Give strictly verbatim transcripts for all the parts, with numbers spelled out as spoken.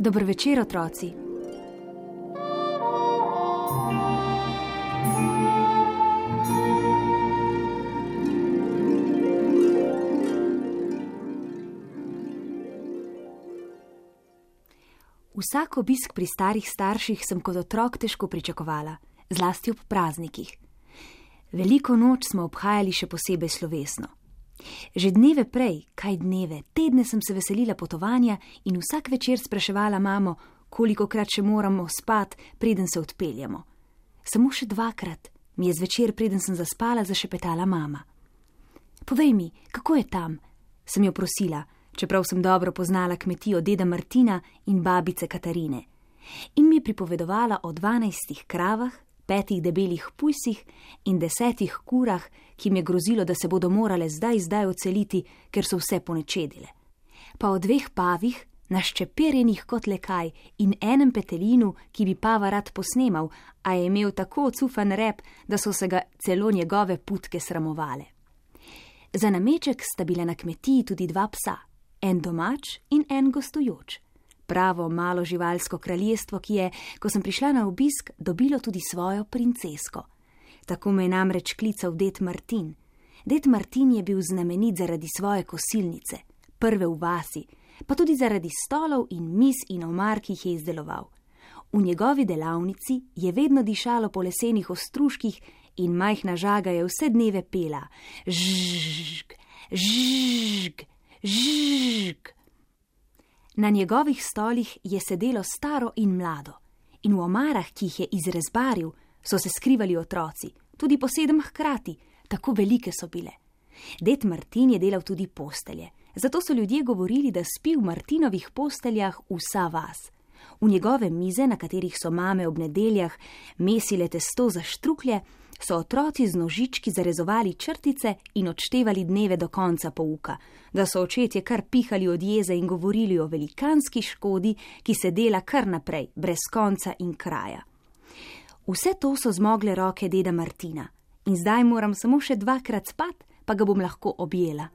Dober večer, otroci. Vsak obisk pri starih starših sem kot otrok težko pričakovala, zlasti ob praznikih. Veliko noč smo obhajali še posebej slovesno. Že dneve prej, kaj dneve, tedne sem se veselila potovanja in vsak večer spraševala mamo, kolikokrat še moramo spat, preden se odpeljemo. Samo še dvakrat mi je zvečer, preden sem zaspala, zašepetala mama. Povej mi, kako je tam? Sem jo prosila, čeprav sem dobro poznala kmetijo deda Martina in babice Katarine. In mi je pripovedovala o dvanajstih kravah, petih debelih pujsih in desetih kurah, ki mi je grozilo, da se bodo morale zdaj zdaj odseliti, ker so vse ponečedile. Pa o dveh pavih, naščeperjenih kot lekaj, in enem petelinu, ki bi pava rad posnemal, a je imel tako ocufan rep, da so se ga celo njegove putke sramovale. Za nameček sta bila na kmetiji tudi dva psa, en domač in en gostujoč. Pravo malo živalsko kraljestvo, ki je, ko sem prišla na obisk, dobilo tudi svojo princesko. Tako me je namreč klical ded Martin. Ded Martin je bil znamenit zaradi svoje kosilnice, prve v vasi, pa tudi zaradi stolov in miz in omar, ki jih je izdeloval. V njegovi delavnici je vedno dišalo po lesenih ostružkih in majhna žaga je vse dneve pela. Žžžg, žžžg, žžžg. Na njegovih stolih je sedelo staro in mlado, in v omarah, ki jih je izrezbaril, so se skrivali otroci, tudi po sedem hkrati, tako velike so bile. Ded Martin je delal tudi postelje, zato so ljudje govorili, da spi v Martinovih posteljah vsa vas. V njegove mize, na katerih so mame ob nedeljah mesile testo za štruklje, so otroci z nožički zarezovali črtice in odštevali dneve do konca pouka, da so očetje kar pihali od jeze in govorili o velikanski škodi, ki se dela kar naprej, brez konca in kraja. Vse to so zmogle roke deda Martina in zdaj moram samo še dvakrat spat, pa ga bom lahko objela.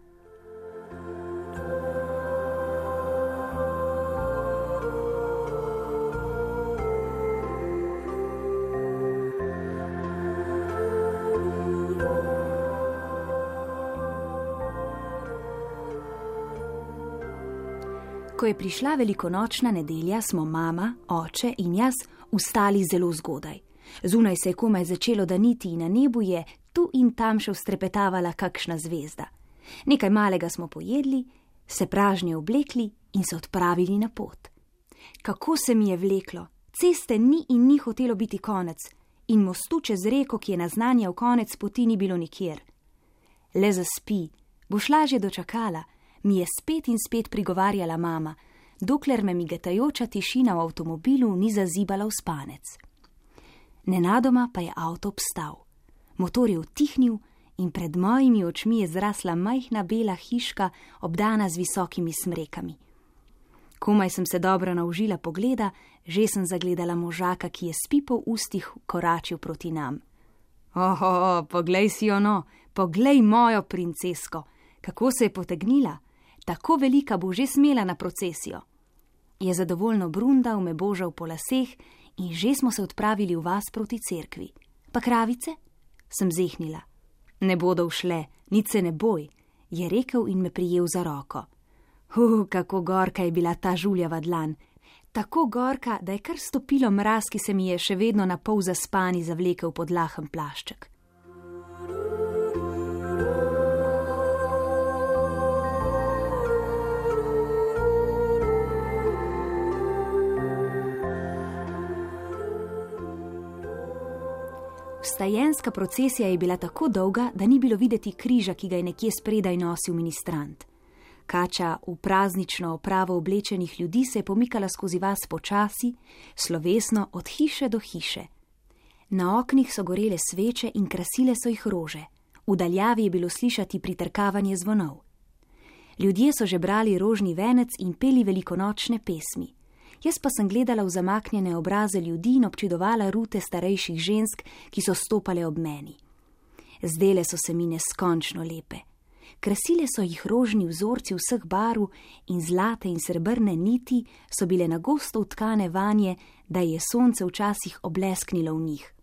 Ko je prišla velikonočna nedelja, smo mama, oče in jaz vstali zelo zgodaj. Zunaj se je komaj začelo daniti in na nebu je tu in tam še ustrepetavala kakšna zvezda. Nekaj malega smo pojedli, se pražnje oblekli in se odpravili na pot. Kako se mi je vleklo, ceste ni in ni hotelo biti konec in mostu čez reko, ki je naznanjal konec poti, ni bilo nikjer. Le zaspi, boš lažje dočakala, mi je spet in spet prigovarjala mama, dokler me migetajoča tišina v avtomobilu ni zazibala v spanec. Nenadoma pa je avto obstal. Motor je utihnil in pred mojimi očmi je zrasla majhna bela hiška, obdana z visokimi smrekami. Komaj sem se dobro naužila pogleda, že sem zagledala možaka, ki je s pipo v ustih koračil proti nam. Oho, poglej si jo no, poglej mojo princesko, kako se je potegnila. Tako velika bo že smela na procesijo. Je zadovoljno brundal, me božal po laseh in že smo se odpravili v vas proti cerkvi. Pa kravice? Sem zehnila. Ne bodo všle, nič se ne boj, je rekel in me prijel za roko. Huh, kako gorka je bila ta žuljava dlan. Tako gorka, da je kar stopilo mraz, ki se mi je še vedno na pol zaspani zavlekel pod lahen plašček. Vstajenska procesija je bila tako dolga, da ni bilo videti križa, ki ga je nekje spredaj nosil ministrant. Kača v praznično opravo oblečenih ljudi se je pomikala skozi vas počasi, slovesno od hiše do hiše. Na oknih so gorele sveče in krasile so jih rože. V daljavi je bilo slišati pritrkavanje zvonov. Ljudje so že brali rožni venec in peli velikonočne pesmi. Jaz pa sem gledala v zamaknjene obraze ljudi in občudovala rute starejših žensk, ki so stopale ob meni. Zdele so se mi neskončno lepe. Krasile so jih rožni vzorci vseh barv in zlate in srebrne niti so bile na gosto utkane vanje, da je sonce včasih oblesknilo v njih.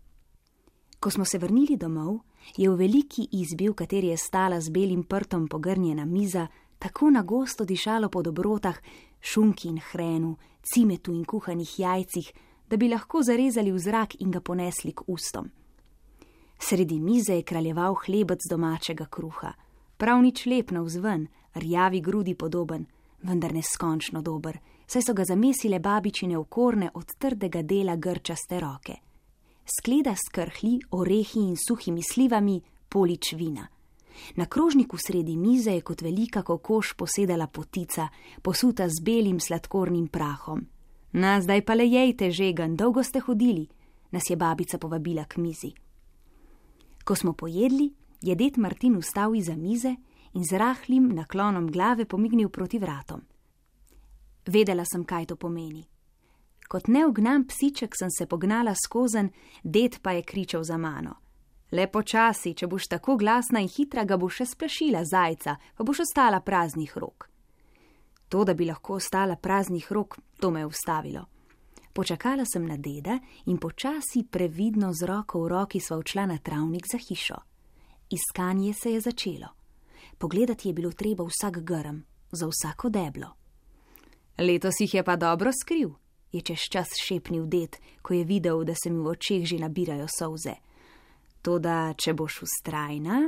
Ko smo se vrnili domov, je v veliki izbi, v kateri je stala z belim prtom pogrnjena miza, tako na gosto dišalo po dobrotah, šunki in hrenu, cimetu in kuhanih jajcih, da bi lahko zarezali v zrak in ga ponesli k ustom. Sredi mize je kraljeval hlebec domačega kruha, prav nič lep navzven, rjavi grudi podoben, vendar neskončno dober, saj so ga zamesile babičine okorne od trdega dela grčaste roke. Skleda s krhlji, orehi in suhimi slivami, polič vina. Na krožniku sredi mize je kot velika kokoš posedala potica, posuta z belim sladkornim prahom. Na, zdaj pa le jejte, žegan, dolgo ste hodili, nas je babica povabila k mizi. Ko smo pojedli, je ded Martin vstal iza mize in z rahlim naklonom glave pomignil proti vratom. Vedela sem, kaj to pomeni. Kot neugnan psiček sem se pognala skozen, ded pa je kričal za mano. Le počasi, če boš tako glasna in hitra, ga boš še splašila zajca, pa boš ostala praznih rok. To, da bi lahko ostala praznih rok, to me je ustavilo. Počakala sem na deda in počasi previdno z roko v roki sva odšla na travnik za hišo. Iskanje se je začelo. Pogledati je bilo treba vsak grm, za vsako deblo. Letos jih je pa dobro skril, je čez čas šepnil ded, ko je videl, da se mi v očeh že nabirajo solze. Toda, če boš vztrajna,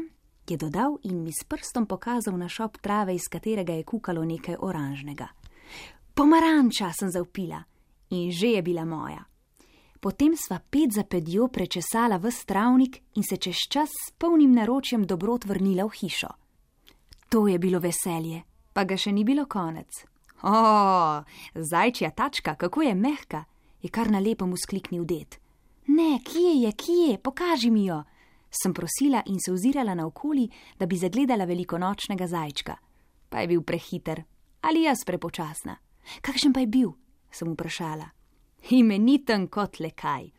je dodal in mi s prstom pokazal na šop trave, iz katerega je kukalo nekaj oranžnega. Pomaranča, sem zavpila, in že je bila moja. Potem sva ped za pedjo prečesala ves travnik in se čez čas s polnim naročjem dobrot vrnila v hišo. To je bilo veselje, pa ga še ni bilo konec. O, zajčja tačka, kako je mehka, je kar na lepem vzkliknil ded. Ne, kje je, kje, pokaži mi jo, sem prosila in se ozirala naokoli, da bi zagledala velikonočnega zajčka. Pa je bil prehiter, ali jaz prepočasna. Kakšen pa je bil, sem vprašala. Imeniten kot le kaj.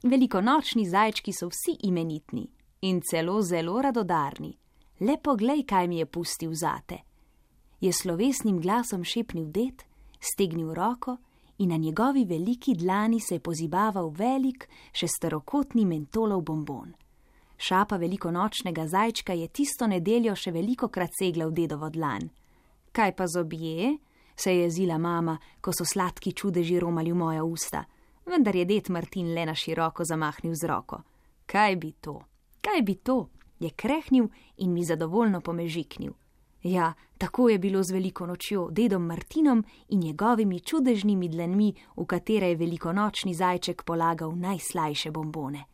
Velikonočni zajčki so vsi imenitni in celo zelo radodarni. Le poglej, kaj mi je pustil zate. Je slovesnim glasom šepnil ded, stegnil roko in na njegovi veliki dlani se je pozibaval velik, šesterokotni mentolov bombon. Šapa velikonočnega zajčka je tisto nedeljo še velikokrat segla v dedovo dlan. Kaj pa zobje? Se je jezila mama, ko so sladki čudeži romali v moja usta, vendar je ded Martin le na široko zamahnil z roko. Kaj bi to? Kaj bi to? Je krehnil in mi zadovoljno pomežiknil. Ja, tako je bilo z veliko nočjo, dedom Martinom in njegovimi čudežnimi dlanmi, v katere je velikonočni zajček polagal najslajše bombone.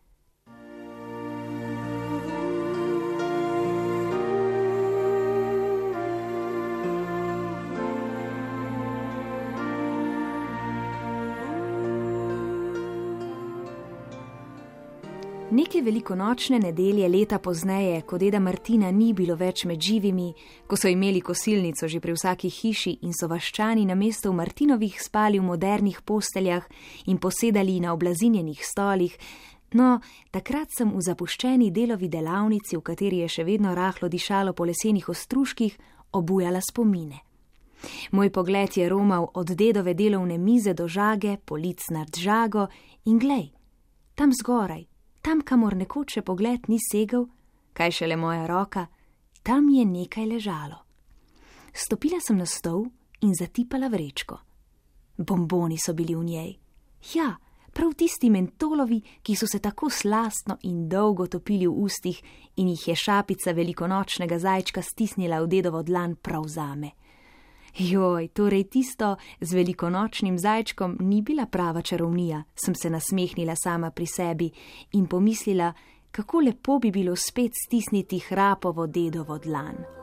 Neke velikonočne nedelje leta pozneje, ko deda Martina ni bilo več med živimi, ko so imeli kosilnico že pri vsaki hiši in so vaščani namesto v Martinovih spali v modernih posteljah in posedali na oblazinjenih stolih, no, takrat sem v zapuščeni delovi delavnici, v kateri je še vedno rahlo dišalo po lesenih ostružkih, obujala spomine. Moj pogled je romal od dedove delovne mize do žage, polic nad žago in glej, tam zgoraj, tam, kamor nekoč še pogled ni segel, kaj šele moja roka, tam je nekaj ležalo. Stopila sem na stol in zatipala vrečko. Bomboni so bili v njej. Ja, prav tisti mentolovi, ki so se tako slastno in dolgo topili v ustih in jih je šapica velikonočnega zajčka stisnila v dedovo dlan prav zame. Joj, torej tisto z velikonočnim zajčkom ni bila prava čarovnija, sem se nasmehnila sama pri sebi in pomislila, kako lepo bi bilo spet stisniti hrapovo dedovo dlan.